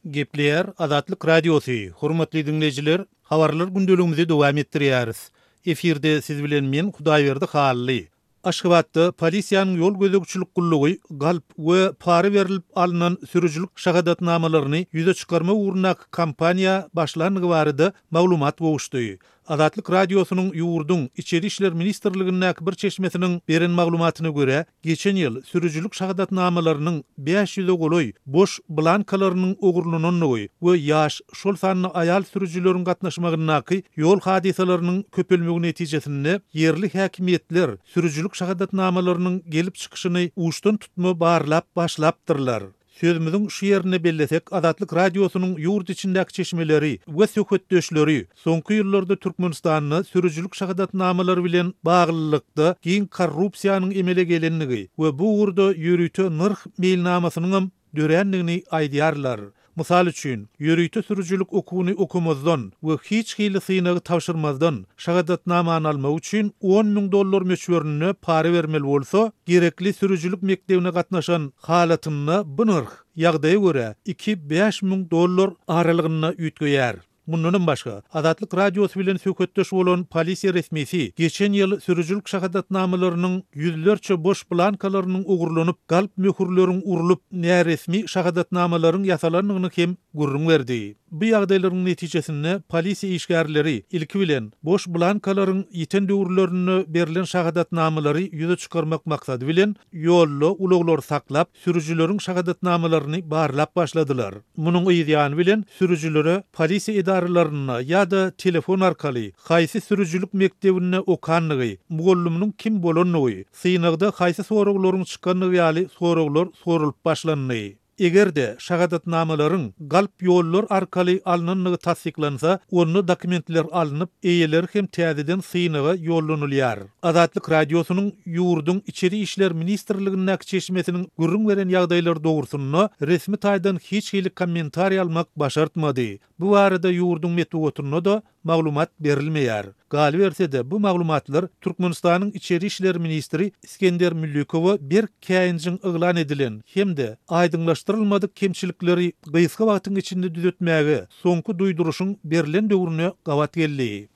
Gepleýär Azatlyk Radiosy, Hormatly diňleýjiler, habarlar gündeligimizi dowam etdirýäris. Efirde siz bilen men Hudaýberdi Hally. Aşgabatda polisiýanyň ýol gözegçilik gullugy galp we para berlip alnan sürüjilik şahadatnamalaryny ýüze çykarmak ugrundaky kampaniýa başlandygy barada maglumat gowuşdy. Azatlyk Radiosynyň ýurduň Içeri işler ministrligindäki bir çeşmesiniň beren maglumatyna görä, geçen ýyl sürüjilik şahadatnamalarynyň 500-e golaý boş blankalarynyň ogurlanandygy we ýaş, şol sanda aýal sürüjileriň gatnaşmagyndaky ýol hadysalarynyň köpelmegi netijesinde ýerli häkimiýetler sürüjilik şahadatnamalarynyň gelip çykyşyny uçdan-tutma barlap başlapdyrlar. Sözümiziň şu ýerinde bellesek, Azatlyk Radiosynyň ýurt içindäki çeşmeleri we söhbetdeşleri soňky ýyllarda Türkmenistanda sürüjilik şahadatnamalary bilen baglylykda giň korrupsiýanyň emele gelendigi we bu ugurda ýörite nyrh meýilnamasynyňam dörändigini aýdýarlar. Mysal üçin, ýörite sürüjilik okuwyny okamazdan we hiç hili synagy tabşyrmazdan şahadatnamany almak üçin 10,000 dollar möçberinde para bermeli bolsa, gerekli sürüjilik mekdebine gatnaşan halatynda bu nyrh, ýagdaýa görä, iki- 5000 dollar aralygynda üýtgeýär. Mundanam başga, Azatlyk Radiosy bilen söhbetdeş bolan polisiýa resmisi geçen ýyl sürüjilik şahadatnamalarynyň ýüzlerçe boş blankalarynyň ogurlanyp, galp möhürleriň urlup, näresmi şahadatnamalaryň ýasalandygyny hem gürrüň berdi. Bu ýagdaýlaryň netijesinde polisiýa işgärleri, ilki bilen, boş blankalaryň ýiten döwürlerinde berlen şahadatnamalary ýüze çykarmak maksady bilen, ýolda ulaglary saklap, sürüjileriň şahadatnamalaryny barlap başladylar. Munuň yz ýany bilen sürüjilere polisiýa edaralarynda ýa-da telefon arkaly haýsy sürüjilik mekdebinde okandygy, mugallymynyň kim bolandygy, synagda haýsy soraglaryň çykandygy ýaly soraglar soralyp başlandy. Eger-de şahadatnamalaryň galp ýollar arkaly alnandygy tassyklansa, onda dokumentler alnyp, eýeleri hem täzeden synaga ýollanylýar. Azatlyk Radiosynyň ýurduň Içeri işler ministrligindäki çeşmesiniň gürrüň beren ýagdaýlary dogrusynda resmi taýdan hiç hili kommentariý almak başartmady. Bu barada ýurduň metbugatynda-da maglumat berilmeýär. Galyberse-de, bu maglumatlar Türkmenistanyň içeri işler ministri Isgender Müllikowa berk käýinjiň yglan edilen hem-de aýdyňlaşdyrylmadyk kemçilikleri gysga wagtyň içinde düzetmäge soňky duýduryşyň berlen döwrüne gabat geldi.